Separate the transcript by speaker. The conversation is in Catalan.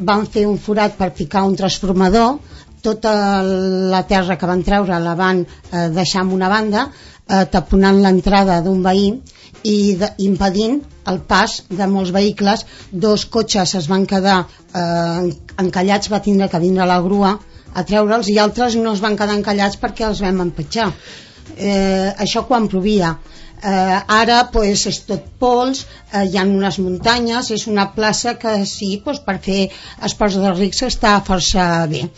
Speaker 1: van fer un forat per ficar un transformador, tota la terra que van treure la van deixar en una banda, taponant l'entrada d'un veí i impedint el pas de molts vehicles. 2 cotxes es van quedar encallats, va tindre que vindre la grua a treure'ls, i altres no es van quedar encallats perquè els vam empatxar. Això quan plovia. Ara pues, és tot pols, hi ha unes muntanyes, és una plaça que sí, pues, per fer esports de rics està força bé.